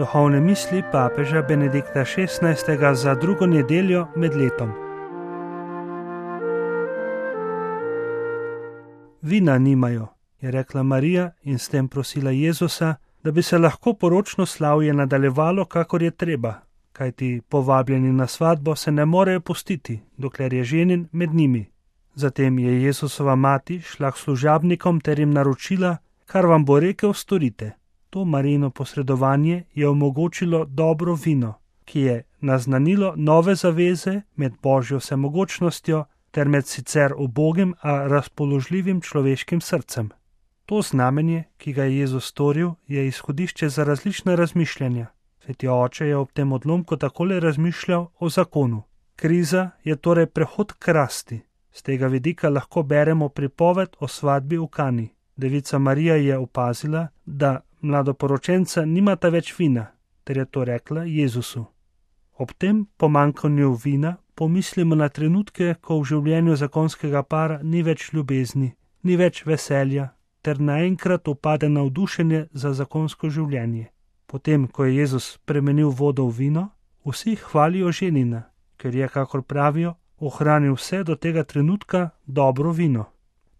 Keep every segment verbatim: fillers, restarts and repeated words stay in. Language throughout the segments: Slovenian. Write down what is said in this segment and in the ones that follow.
Duhovne misli papeža Benedikta šestnajstega za drugo nedeljo med letom. Vina nimajo, je rekla Marija in s tem prosila Jezusa, da bi se lahko poročno slavje nadaljevalo, kakor je treba, kajti povabljeni na svatbo se ne morejo pustiti, dokler je ženin med njimi. Zatem je Jezusova mati šla k služabnikom ter jim naročila, kar vam bo rekel, storite. To Marijino posredovanje je omogočilo dobro vino, ki je naznanilo nove zaveze med Božjo vsemogočnostjo ter med sicer ubogim, a razpoložljivim človeškim srcem. To znamenje, ki ga je Jezus storil, je izhodišče za različna razmišljanja. Sveti oče je ob tem odlomku takole razmišljal o zakonu. Kriza je torej prehod k rasti. Z tega vidika lahko beremo pripoved o svadbi v Kani. Devica Marija je opazila, da mladoporočenca nimata več vina, ter je to rekla Jezusu. Ob tem pomanjkanju vina pomislimo na trenutke, ko v življenju zakonskega para ni več ljubezni, ni več veselja, ter naenkrat upade navdušenje za zakonsko življenje. Potem, ko je Jezus spremenil vodo v vino, vsi hvalijo ženina, ker je, kakor pravijo, ohranil vse do tega trenutka dobro vino.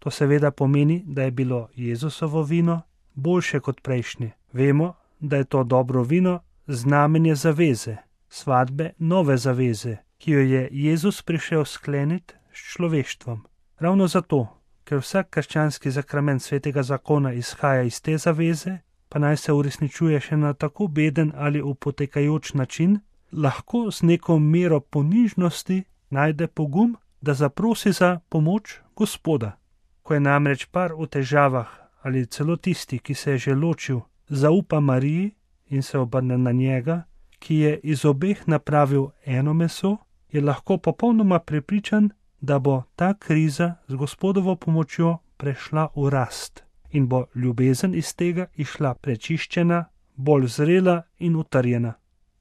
To seveda pomeni, da je bilo Jezusovo vino boljše kot prejšnje. Vemo, da je to dobro vino znamenje zaveze, svadbe nove zaveze, ki jo je Jezus prišel skleniti s človeštvom. Ravno zato, ker vsak krščanski zakrament svetega zakona izhaja iz te zaveze, pa naj se uresničuje še na tako beden ali upotekajoč način, lahko z neko mero ponižnosti najde pogum, da zaprosi za pomoč Gospoda. Ko je namreč par v težavah ali celo tisti, ki se je že ločil, zaupa Mariji in se obrne na njega, ki je iz obeh napravil eno meso, je lahko popolnoma prepričan, da bo ta kriza z Gospodovo pomočjo prešla v rast in bo ljubezen iz tega išla prečiščena, bolj zrela in utrjena.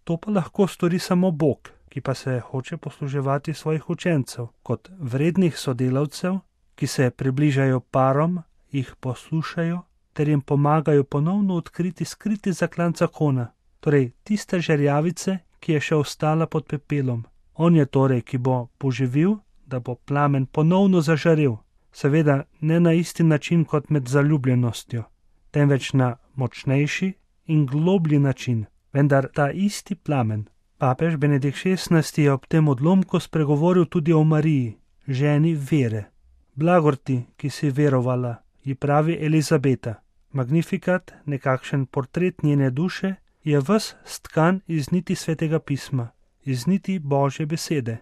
To pa lahko stori samo Bog, ki pa se hoče posluževati svojih učencev kot vrednih sodelavcev, ki se približajo parom, jih poslušajo ter jim pomagajo ponovno odkriti skriti zaklan zakona, torej tiste žerjavice, ki je še ostala pod pepelom. On je torej, ki bo poživil, da bo plamen ponovno zažarel, seveda ne na isti način kot med zaljubljenostjo, temveč na močnejši in globlji način, vendar ta isti plamen. Papež Benedikt šestnajsti je ob tem odlomku spregovoril tudi o Mariji, ženi vere. Blagor ti, ki si verovala, ji pravi Elizabeta. Magnifikat, nekakšen portret njene duše, je ves stkan iz niti svetega pisma, iz niti Božje besede.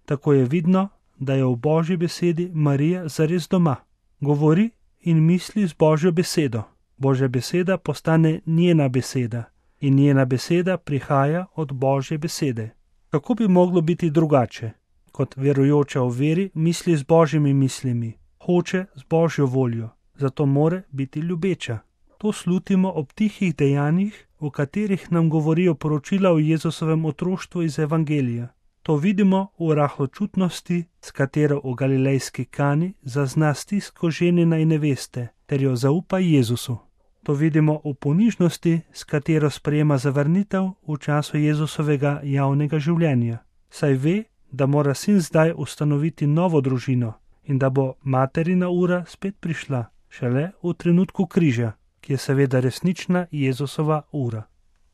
Tako je vidno, da je v Božji besedi Marija zares doma. Govori in misli z Božjo besedo. Božja beseda postane njena beseda in njena beseda prihaja od Božje besede. Kako bi moglo biti drugače? Kot verujoča v veri misli z Božjimi mislimi, hoče z Božjo voljo, zato more biti ljubeča. To slutimo ob tihih dejanjih, v katerih nam govorijo poročila o Jezusovem otroštvu iz Evangelija. To vidimo v rahločutnosti, s katero v galilejski Kani zazna stisko ženina in neveste, ter jo zaupa Jezusu. To vidimo v ponižnosti, s katero sprejema zavrnitev v času Jezusovega javnega življenja. Saj ve, da mora sin zdaj ustanoviti novo družino in da bo materina ura spet prišla, šele v trenutku križa, ki je seveda resnična Jezusova ura.